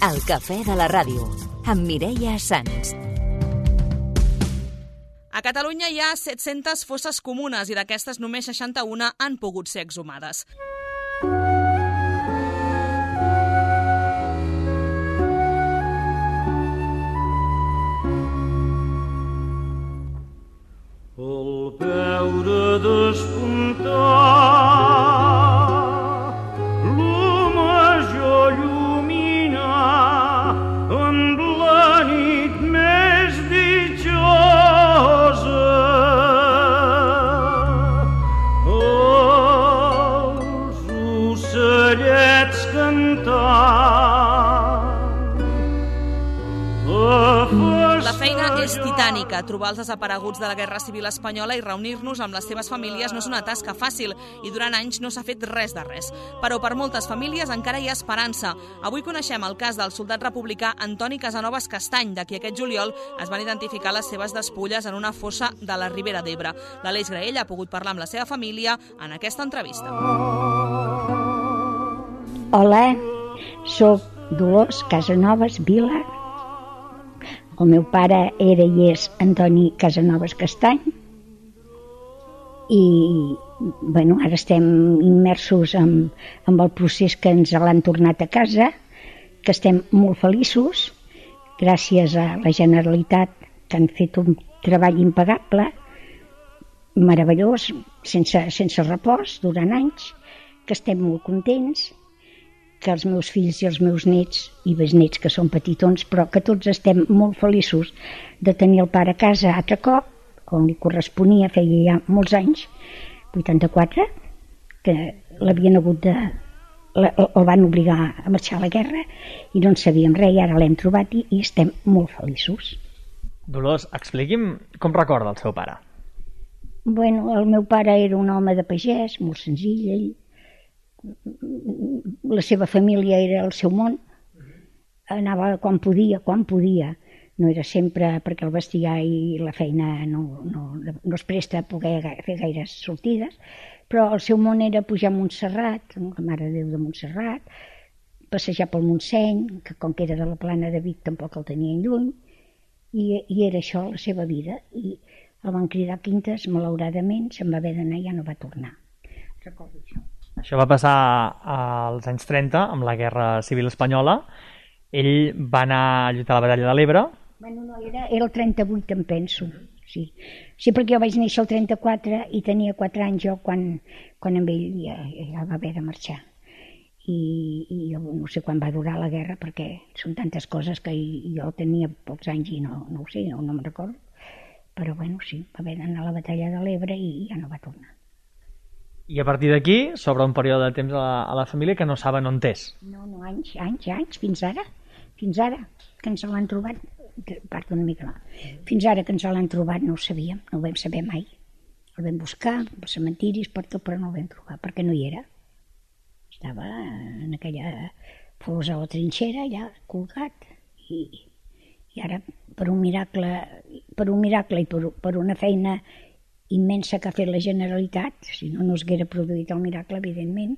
El cafè de la ràdio, amb Mireia Sans. A Catalunya hi ha 700 fosses comunes i d'aquestes només 61 han pogut ser exhumades. Al veure despuntar la major llumina amb la nit més ditjosa, els ocellets cantant. La feina és titànica. Trobar els desapareguts de la Guerra Civil Espanyola i reunir-nos amb les seves famílies no és una tasca fàcil i durant anys no s'ha fet res de res. Però per moltes famílies encara hi ha esperança. Avui coneixem el cas del soldat republicà Antoni Casanovas Castany, de qui aquest juliol es van identificar les seves despulles en una fossa de la Ribera d'Ebre. L'Aleix Graell ha pogut parlar amb la seva família en aquesta entrevista. Hola, soc Dolors Casanovas Vila. El meu pare era i és Antoni Casanovas Castany i ara estem immersos en el procés que ens l'han tornat a casa, que estem molt feliços gràcies a la Generalitat, que han fet un treball impagable, meravellós, sense repòs durant anys, que estem molt contents, que els meus fills i els meus nets i besnets, que són petitons, però que tots estem molt feliços de tenir el pare a casa altre cop, on li corresponia, feia ja molts anys, 84, que l'havien hagut el van obligar a marxar a la guerra i no en sabíem res, i ara l'hem trobat i estem molt feliços. Dolors, expliqui'm com recorda el seu pare. El meu pare era un home de pagès, molt senzill, ell. La seva família era el seu món, anava quan podia, no era sempre, perquè el bestiar i la feina no es presta a poder fer gaires sortides, però el seu món era pujar a Montserrat, la Mare de Déu de Montserrat, passejar pel Montseny, que com que era de la Plana de Vic tampoc el tenien lluny, i era això la seva vida, i el van cridar a Quintes, malauradament se'n va haver d'anar i ja no va tornar. Recordo això. Això va passar als anys 30, amb la Guerra Civil Espanyola. Ell va anar a lluitar a la Batalla de l'Ebre. No, era el 38, em penso. Sí, perquè jo vaig néixer el 34 i tenia 4 anys jo quan amb ell ja va haver de marxar. I jo no sé quan va durar la guerra, perquè són tantes coses que jo tenia pocs anys i no ho sé, no me'n recordo. Però sí, va haver d'anar a la Batalla de l'Ebre i ja no va tornar. I a partir d'aquí s'obre un període de temps a la família que no saben on és. No, anys, fins ara, que ens l'han trobat, perdó una mica, fins ara que ens l'han trobat no ho sabíem, no ho vam saber mai. El vam buscar, per cementiris, però no el vam trobar, perquè no hi era. Estava en aquella fosa o trinxera, allà, colgat, i ara, per un miracle i per una feina immensa que ha fet la Generalitat, si no es haguera produït el miracle, evidentment,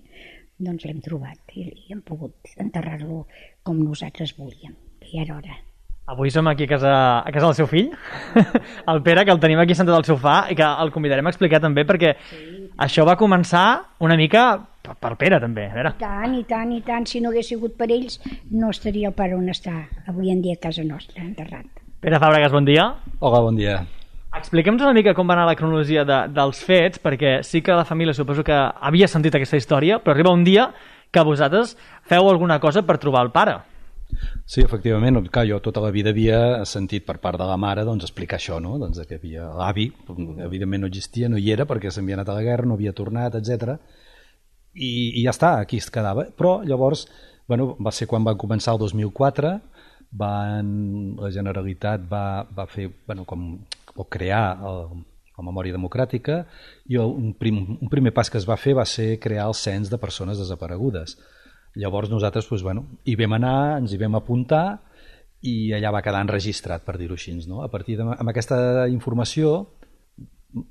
doncs l'hem trobat i hem pogut enterrar-lo com nosaltres volíem, que ja era hora. Avui som aquí a casa del seu fill, el Pere, que el tenim aquí sentat al sofà i que el convidarem a explicar també, perquè això va començar una mica per Pere també. I tant, si no hagués sigut per ells no estaria el pare on està avui en dia a casa nostra, enterrat. Pere Fàbregas, bon dia. Hola, bon dia. Expliquem-nos una mica com va anar la cronologia dels fets, perquè sí que la família suposo que havia sentit aquesta història, però arriba un dia que vosaltres feu alguna cosa per trobar el pare. Sí, efectivament, clar, jo tota la vida havia sentit per part de la mare explicar això, no? Que havia l'avi, evidentment no existia, no hi era perquè s'havia anat a la guerra, no havia tornat, etc. I ja està, aquí es quedava. Però llavors, va ser quan va començar el 2004, la Generalitat va fer, o crear la memòria democràtica, i un primer pas que es va fer va ser crear el cens de persones desaparegudes. Llavors nosaltres hi vam anar, ens hi vam apuntar i allà va quedar enregistrat, per dir-ho així. A partir amb aquesta informació,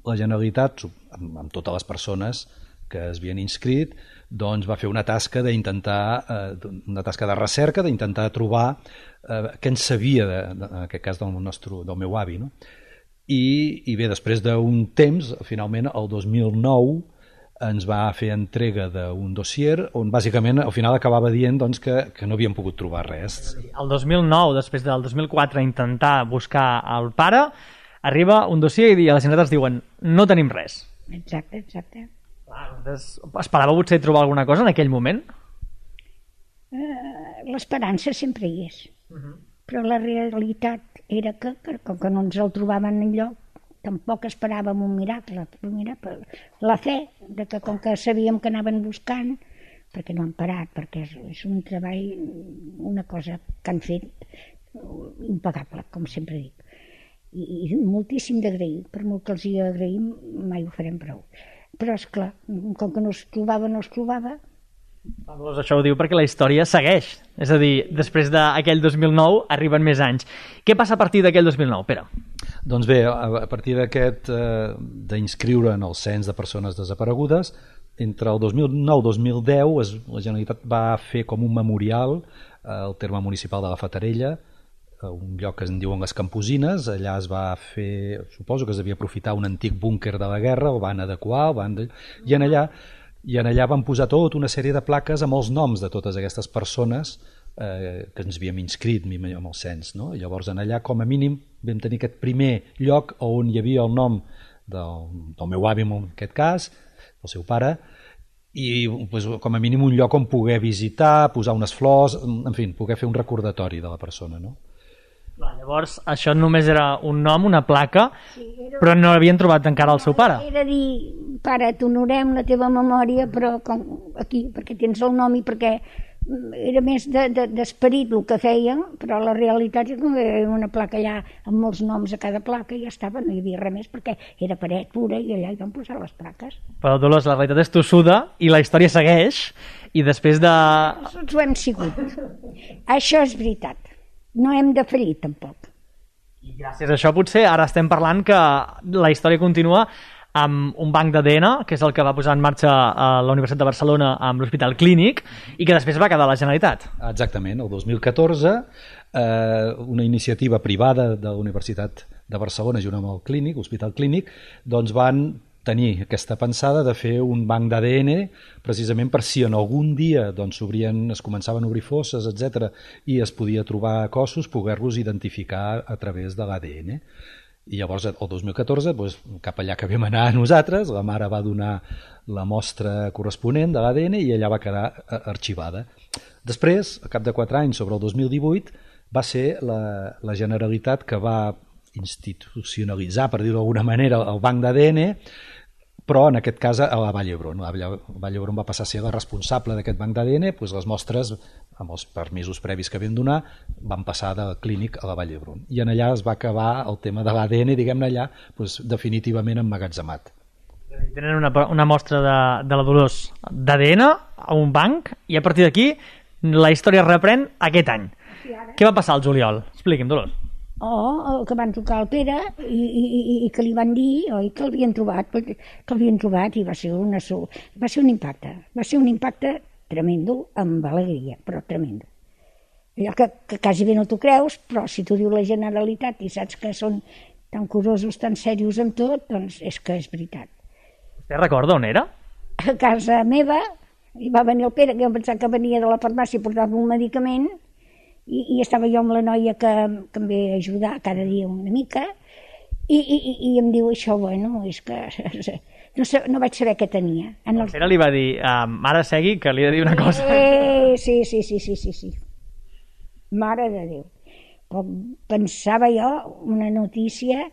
la Generalitat, amb totes les persones que es havien inscrit, doncs va fer una tasca una tasca de recerca, d'intentar trobar què en sabia, en aquest cas del meu avi, no? I bé, després d'un temps, finalment, el 2009, ens va fer entrega d'un dossier on bàsicament al final acabava dient doncs, que no havíem pogut trobar res. El 2009, després del 2004, intentar buscar el pare, arriba un dossier i a la Generalitat ens diuen no tenim res. Exacte. Esperava potser trobar alguna cosa en aquell moment? L'esperança sempre hi és. Però la realitat era que com que no ens el trobaven enlloc, tampoc esperàvem un miracle. La fe, de que com que sabíem que anaven buscant, perquè no han parat, perquè és un treball, una cosa que han fet impagable, com sempre dic. I moltíssim d'agrair, per molt que els hi agraïm, mai ho farem prou. Però, esclar, com que no es trobava, Doncs això ho diu perquè la història segueix. És a dir, després d'aquell 2009 arriben més anys. Què passa a partir d'aquell 2009, Pere? Doncs bé, a partir d'aquest d'inscriure en el cens de persones desaparegudes, entre el 2009 i 2010 la Generalitat va fer com un memorial al terme municipal de la Fatarella, un lloc que es diuen les Camposines. Allà es va fer, suposo que es devia aprofitar un antic búnquer de la guerra, el van adequar, i en allà van posar tota una sèrie de plaques amb els noms de totes aquestes persones que ens havíem inscrit amb el cens, no? I llavors en allà com a mínim vam tenir aquest primer lloc on hi havia el nom del meu avi en aquest cas, del seu pare, i pues, com a mínim un lloc on poder visitar, posar unes flors, en fi, poder fer un recordatori de la persona, no? Llavors, això només era un nom, una placa, però no havien trobat encara el seu pare. Era dir, pare, t'honorem la teva memòria, però aquí, perquè tens el nom i perquè era més d'esperit el que feien, però la realitat és que era una placa allà amb molts noms a cada placa i ja estava, no hi havia res més perquè era paret pura i allà hi van posar les plaques. Però Dolors, la realitat és tossuda i la història segueix i després de... Nosaltres ho hem sigut. Això és veritat. No hem de ferir, tampoc. I gràcies a això potser ara estem parlant que la història continua amb un banc d'ADN, que és el que va posar en marxa la Universitat de Barcelona amb l'Hospital Clínic i que després va quedar a la Generalitat. Exactament, el 2014 una iniciativa privada de la Universitat de Barcelona junt amb el Clínic, l'Hospital Clínic, doncs van tenir aquesta pensada de fer un banc d'ADN precisament per si en algun dia doncs, es començaven a obrir fosses, etc., i es podia trobar cossos, poder-los identificar a través de l'ADN. I llavors, el 2014, doncs, cap allà que vam anar nosaltres, la mare va donar la mostra corresponent de l'ADN i allà va quedar arxivada. Després, al cap de 4 anys, sobre el 2018, va ser la Generalitat que va institucionalitzar, per dir-ho d'alguna manera, el banc d'ADN, però en aquest cas a la Vall d'Hebron. La Vall d'Hebron va passar a ser la responsable d'aquest banc d'ADN, doncs les mostres, amb els permisos previs que vam donar, van passar del Clínic a la Vall d'Hebron. I en allà es va acabar el tema de l'ADN, diguem-ne allà, doncs, definitivament emmagatzemat. Tenen una mostra de la Dolors d'ADN a un banc i a partir d'aquí la història reprèn aquest any. Què va passar al juliol? Expliqui'm, Dolors. Que van trucar al Pere i que li van dir que l'havien trobat i va ser un impacte tremendo, amb alegria, però tremendo. Allò que quasi bé no t'ho creus, però si t'ho diu la Generalitat i saps que són tan curosos, tan serios amb tot, doncs és que és veritat. Vostè recorda on era? A casa meva, i va venir el Pere, que jo pensava que venia de la farmàcia i portava un medicament, i estava jo amb la noia que em ve ajudar cada dia una mica i em diu això, bueno, és que no vaig saber què tenia. El Pere li va dir, mare, segui, que li he de dir una cosa. Sí. Mare de Déu. Però pensava jo una notícia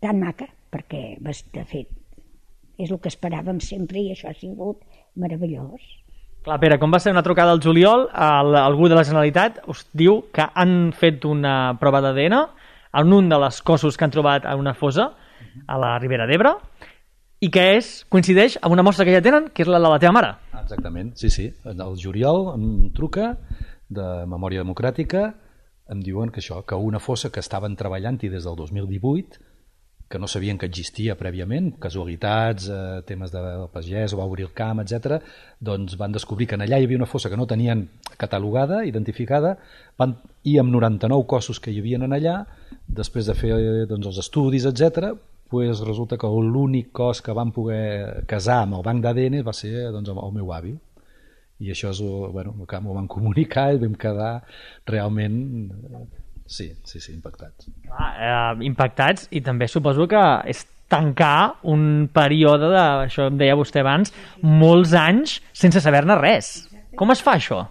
tan maca, perquè, de fet, és el que esperàvem sempre i això ha sigut meravellós. Clar, Pere, com va ser una trucada al juliol, algú de la Generalitat us diu que han fet una prova d'ADN en un de les cossos que han trobat a una fossa a la Ribera d'Ebre i que coincideix amb una mostra que ja tenen, que és la de la teva mare. Exactament, sí. El juliol em truca de Memòria Democràtica, em diuen que una fossa que estaven treballant-hi des del 2018, que no sabien que existia prèviament, casualitats, temes del pagès, o va obrir el camp, etc. Doncs van descobrir que en allà hi havia una fossa que no tenien catalogada, identificada, i amb 99 cossos que hi havia en allà, després de fer doncs, els estudis, etc., pues resulta que l'únic cos que van poder casar amb el banc d'ADN va ser doncs, el meu avi. I això és, bueno, que m'ho van comunicar i vam quedar realment... Sí, impactats. Impactats, i també suposo que és tancar un període de, això em deia vostè abans, molts anys sense saber-ne res. Com es fa això?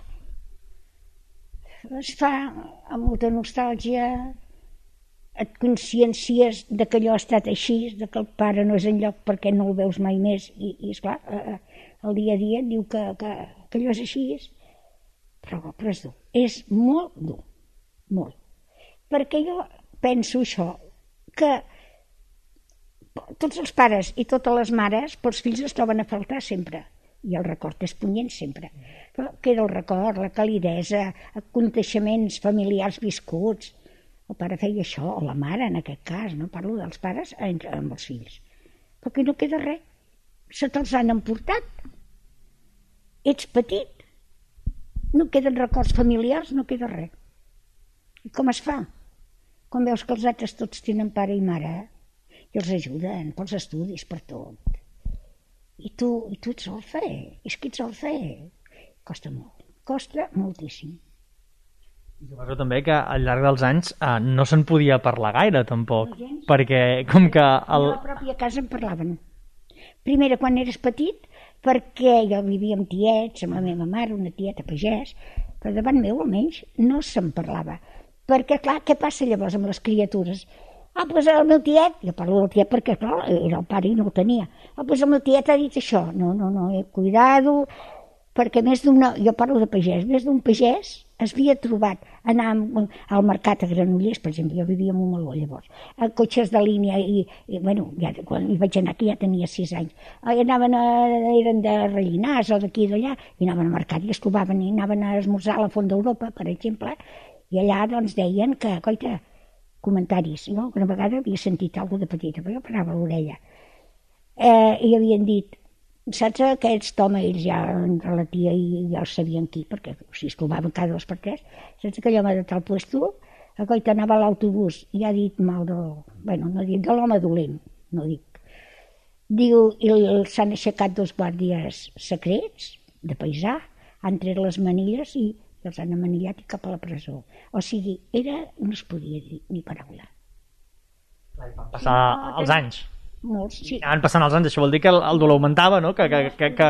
Es fa amb molta nostàlgia, et consciències de que allò ha estat així, de que el pare no és enlloc perquè no el veus mai més, i esclar, el dia a dia et diu que allò és així, però és dur, és molt dur, molt. Perquè jo penso això, que tots els pares i totes les mares, pels fills es troben a faltar sempre, i el record és punyent sempre. Però queda el record, la calidesa, aconteixements familiars viscuts. El pare feia això, o la mare en aquest cas, no parlo dels pares amb els fills. Però que no queda res, se te'ls han emportat. Ets petit, no queden records familiars, no queda res. I com es fa? Quan veus que els altres tots tenen pare i mare, i els ajuden pels estudis, per tot. I tu ets orfe, és que ets orfe. Costa molt, costa moltíssim. I suposo també que al llarg dels anys no se'n podia parlar gaire, tampoc, perquè com que... A la pròpia casa en parlaven. Primera, quan eres petit, perquè jo vivia amb tiets, amb la meva mare, una tieta pagès, però davant meu almenys no se'n parlava. Perquè, clar, què passa llavors amb les criatures? Doncs el meu tiet, jo parlo del tiet perquè, clar, era el pare i no ho tenia. Doncs el meu tiet ha dit això. No, cuidado, perquè més d'una... Jo parlo de pagès, més d'un pagès es havia trobat anar al mercat a Granollers, per exemple, jo vivia a Montmeló llavors, a cotxes de línia, i bueno, ja, quan hi vaig anar aquí ja tenia 6 anys. Eren de Rellinars o d'aquí i d'allà, i anaven al mercat i es trobaven, i anaven a esmorzar a la Font d'Europa, per exemple, i allà doncs deien que, coita, comentaris, no? Una vegada havia sentit alguna de petita, però jo parava a l'orella. I havien dit, saps aquest home, ells ja entre la tia i ja els sabien qui, perquè si es trobaven cada 2 per 3, saps aquell home de tal puesto, coita, anava a l'autobús i ha dit mal no dic de l'home dolent, no dic. Diu, i s'han aixecat 2 guàrdies secrets, de paisà, han tret les manilles i els han amanillat i cap a la presó. O sigui, no es podia dir ni paraula. Van passar els anys. Molts, sí. Anaven passant els anys, això vol dir que el dolor augmentava, no? Que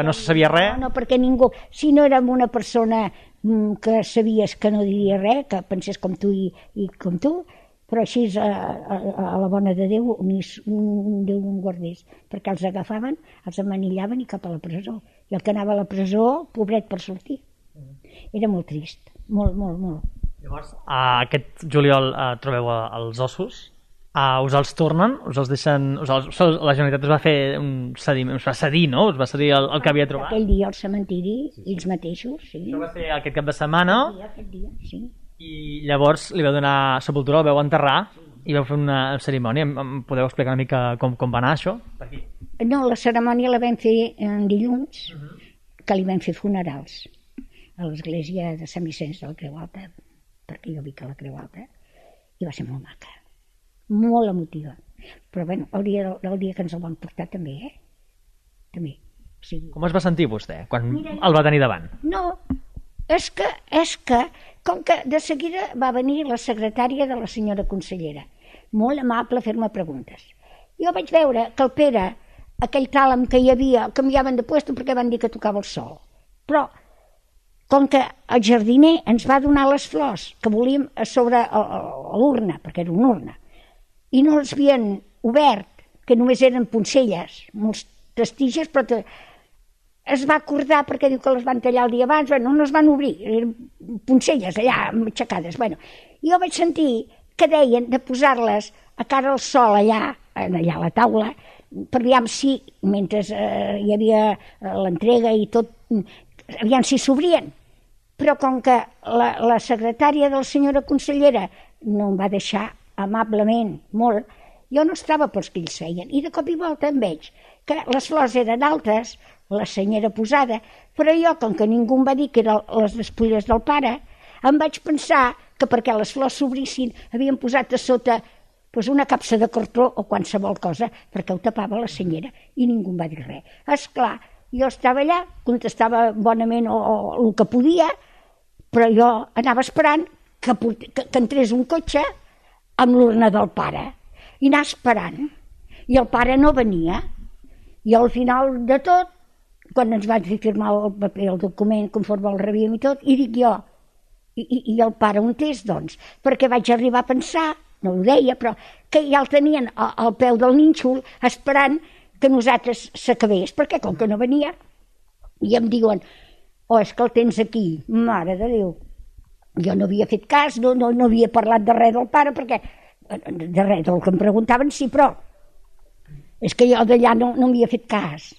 no se sabia res. No, perquè ningú, si no érem una persona que sabies que no diria res, que pensés com tu i com tu, però així a la bona de Déu, Déu un guardés, perquè els agafaven, els amanillaven i cap a la presó. I el que anava a la presó, pobret per sortir. Era molt trist, molt. Llavors, aquest juliol trobeu els ossos, us els tornen, us els deixen... La Generalitat us va fer us va cedir, no? Us va cedir el que havia trobat. Aquell dia al cementiri, ells mateixos, sí. Això va ser aquest cap de setmana. Aquest dia, sí. I llavors li vau donar sepultura, el vau enterrar i vau fer una cerimònia. Em podeu explicar una mica com va anar això? Per aquí. No, la cerimònia la vam fer dilluns, que li vam fer funerals a l'església de Sant Vicenç de la Creu Alta, perquè jo vic a la Creu Alta, i va ser molt maca, molt emotiva. Però bueno, el dia que ens el van portar també, també. O sigui... Com es va sentir vostè quan el va tenir davant? No, és que, com que de seguida va venir la secretària de la senyora consellera, molt amable a fer-me preguntes. Jo vaig veure que el Pere, aquell tàlem que hi havia, canviaven de puesto perquè van dir que tocava el sol. Però com que el jardiner ens va donar les flors que volíem a sobre l'urna, perquè era una urna, i no els havien obert, que només eren poncelles, molts testiges, però es va acordar perquè diu que les van tallar el dia abans, no es van obrir, eren poncelles allà aixecades. Jo vaig sentir que deien de posar-les a cara al sol allà a la taula, per aviam si, mentre hi havia l'entrega i tot, aviam si s'obrien. Però com que la secretària de la senyora consellera no em va deixar amablement molt, Jo no estava pels que ells feien, i de cop i volta em veig que les flors eren altes, la senyera posada, però jo, com que ningú em va dir que eren les despulles del pare, em vaig pensar que perquè les flors s'obrissin havien posat a sota una capsa de cartró o qualsevol cosa, perquè ho tapava la senyera, i ningú em va dir res. Esclar, jo estava allà, contestava bonament o el que podia, però jo anava esperant que entrés un cotxe amb l'urna del pare, i anar esperant. I el pare no venia. I al final de tot, quan ens van fer firmar el paper, el document, conforme el rebíem i tot, i dic jo, i el pare on és, doncs? Perquè vaig arribar a pensar, no ho deia, però que ja el tenien al peu del nínxol esperant que nosaltres s'acabés, perquè com que no venia, i em diuen, és que el tens aquí, mare de Déu. Jo no havia fet cas, no havia parlat de res del pare, perquè de res del que em preguntaven, sí, però és que jo d'allà no havia fet cas,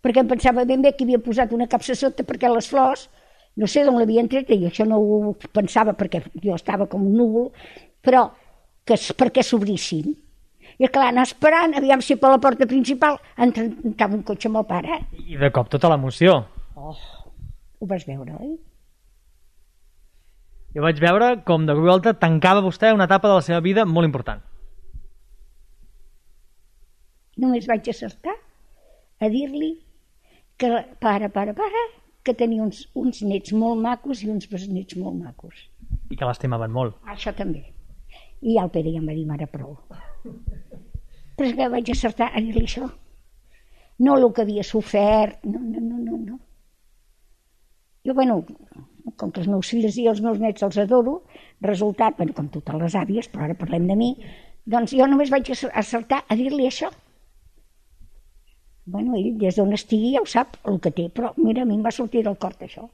perquè em pensava ben bé que havia posat una capsa sota perquè les flors, no sé d'on l'havien tret, i això no ho pensava perquè jo estava com un núvol, però que perquè s'obrissin. I clar, anar esperant, aviam si per la porta principal entrava un cotxe amb el pare. I de cop tota l'emoció. Ho vas veure, oi? Jo vaig veure com de cop i volta tancava vostè una etapa de la seva vida molt important. Només vaig acertar a dir-li que pare, que tenia uns nets molt macos i uns besnets molt macos. I que l'estimaven molt. Això també. I el Pere ja em va dir, mare, prou. Però és que vaig acertar a dir-li això. No el que havia sofert, no. Jo, com que els meus fills i els meus nets els adoro, resultat, com totes les àvies, però ara parlem de mi, doncs jo només vaig acertar a dir-li això. Ell des d'on estigui ja ho sap el que té, però mira, a mi em va sortir del cor això.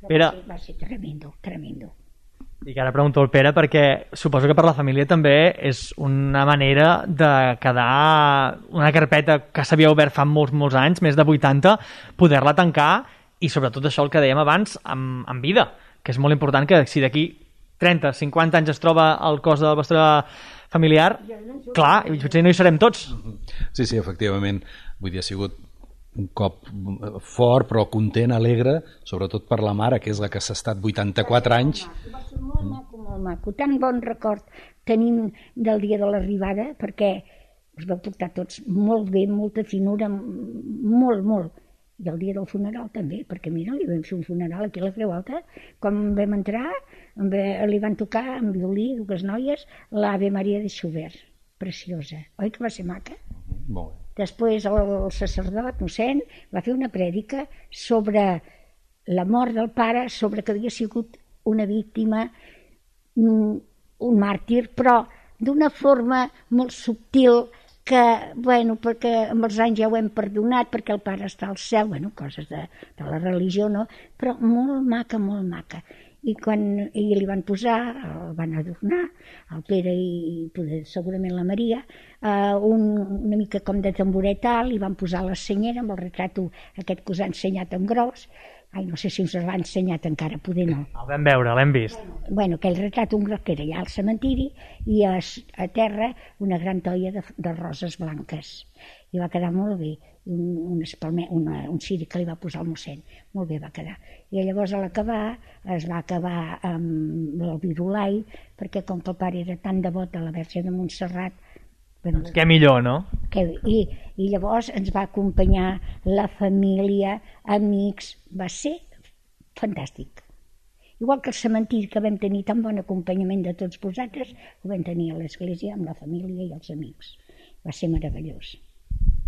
Pere... Va ser tremendo. I que ara pregunto al Pere perquè suposo que per la família també és una manera de quedar una carpeta que s'havia obert fa molts anys, més de 80, poder-la tancar i sobretot això el que dèiem abans en vida, que és molt important que si d'aquí 30, 50 anys es troba el cos del vostre familiar, clar, potser no hi serem tots. Sí, efectivament. Vull dir, ha sigut un cop fort, però content, alegre, sobretot per la mare, que és la que s'ha estat 84 anys. Va ser molt maco. Tan bon record tenim del dia de l'arribada, perquè us vau portar tots molt bé, molta finura, molt. I el dia del funeral també, perquè mira, li vam fer un funeral aquí a la Creu Alta. Quan vam entrar, li van tocar amb violí, dues noies, l'Ave Maria de Schubert, preciosa. Oi que va ser maca? Molt bé. Després el sacerdot, mossèn, va fer una prèdica sobre la mort del pare, sobre que havia sigut una víctima, un màrtir, però d'una forma molt subtil que, perquè amb els anys ja ho hem perdonat, perquè el pare està al cel, coses de la religió, no? Però molt maca. I quan li van posar, el van adornar, el Pere i segurament la Maria, una mica com de tamboret alt, li van posar la senyera amb el retrat aquest que us ha ensenyat en gros. No sé si us l'ha ensenyat encara, poder no. El vam veure, l'hem vist. Aquell retrat un gros que era allà al cementiri i a terra una gran toia de roses blanques. I va quedar molt bé. Un ciri que li va posar el mossèn. Molt bé va quedar. I llavors a l'acabar es va acabar amb el virulai, perquè com que el pare era tan devot a la Verge de Montserrat, què millor, no? I llavors ens va acompanyar la família, amics, va ser fantàstic. Igual que el cementiri, que vam tenir tan bon acompanyament de tots vosaltres, ho vam tenir a l'església amb la família i els amics. Va ser meravellós.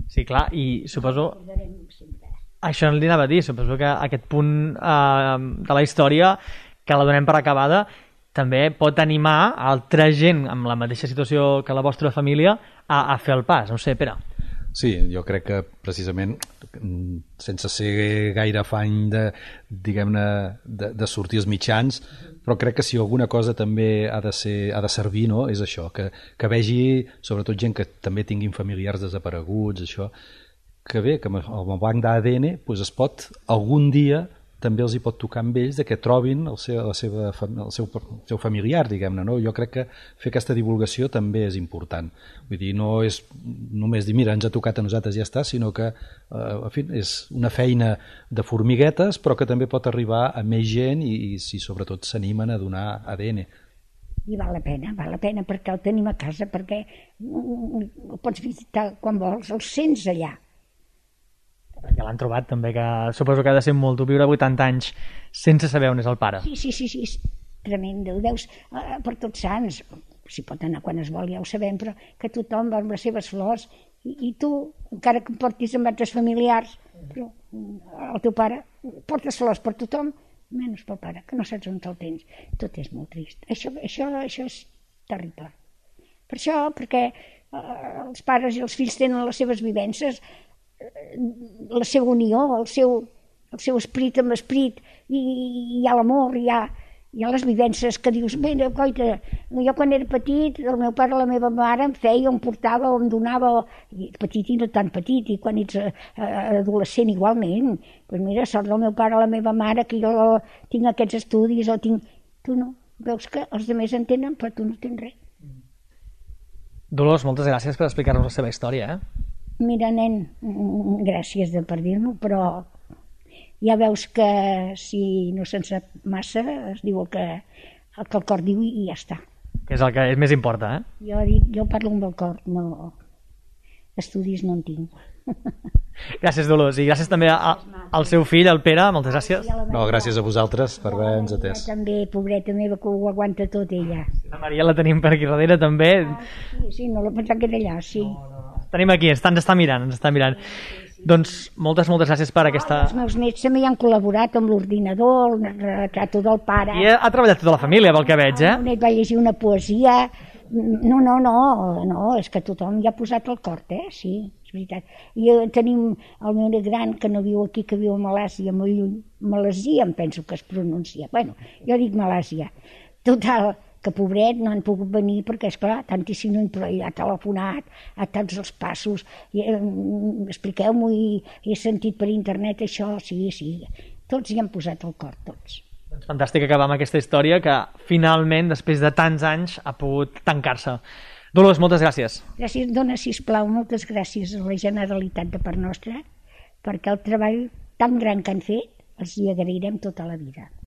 Sí, clar, i suposo... Això li anava a dir, suposo que aquest punt de la història, que la donem per acabada, també pot animar altra gent amb la mateixa situació que la vostra família a fer el pas, no sé, Pere. Sí, jo crec que precisament sense ser gaire afany de sortir als mitjans, però crec que si alguna cosa també ha de servir, no? És això, que vegi sobretot gent que també tinguin familiars desapareguts, això, que bé, que amb el banc d'ADN es pot algun dia també els hi pot tocar amb ells de que trobin el seu familiar, diguem-ne, no? Jo crec que fer aquesta divulgació també és important. Vull dir, no és només dir, mira, ens ha tocat a nosaltres i ja està, sinó que, en fi, és una feina de formiguetes, però que també pot arribar a més gent i si sobretot s'animen a donar ADN. I val la pena, perquè el tenim a casa, perquè el pots visitar quan vols, el sents allà. Perquè l'han trobat també, que suposo que ha de ser molt dur viure 80 anys sense saber on és el pare. Sí, és tremendo. Ho veus per tots sants, si pot anar quan es vol, ja ho sabem, però que tothom va amb les seves flors i tu, encara que em portis amb altres familiars, però el teu pare portes flors per tothom, menys pel pare, que no saps on te'l tens. Tot és molt trist. Això és terrible. Per això, perquè els pares i els fills tenen les seves vivències, la seva unió, el seu esperit amb esperit, i hi ha l'amor, hi ha les vivències que dius, mira, coita, jo quan era petit, el meu pare i la meva mare em feia, em portava, em donava, petit i no tan petit, i quan ets adolescent igualment, doncs mira, sort del meu pare i la meva mare, que jo tinc aquests estudis, o tinc... Tu no, veus que els altres en tenen, però tu no tens res. Dolors, moltes gràcies per explicar-nos la seva història, Mira, nen, gràcies per dir-m'ho, però ja veus que si no se'n sap massa es diu el que el cor diu i ja està. Que és el que més importa, Jo parlo amb el cor, no... Estudis no en tinc. Gràcies, Dolors, i gràcies també al seu fill, el Pere, moltes gràcies. No, gràcies a vosaltres per haver-nos atès. També, pobreta meva, que ho aguanta tot ella. La Maria la tenim per aquí darrere també. Sí, no la pensava que era allà, sí. Tenim aquí, ens està mirant. Doncs moltes gràcies per aquesta... Els meus nets també hi han col·laborat amb l'ordinador, el retrato del pare. I ha treballat tota la família, pel que veig, El net va llegir una poesia. No, és que tothom hi ha posat el cor, sí, és veritat. I tenim el meu net gran, que no viu aquí, que viu a Malàsia, molt lluny. Malàsia, em penso que es pronuncia. Bueno, jo dic Malàsia. Total, que pobret no han pogut venir perquè, esclar, tantíssim, però ha telefonat a tots els passos, expliqueu-m'ho, i he sentit per internet això, sí, tots hi han posat el cor, tots. Doncs fantàstic acabar amb aquesta història que finalment, després de tants anys, ha pogut tancar-se. Dolors, moltes gràcies. Gràcies, dona, sisplau, moltes gràcies a la Generalitat de part nostra, perquè el treball tan gran que han fet els hi agrairem tota la vida.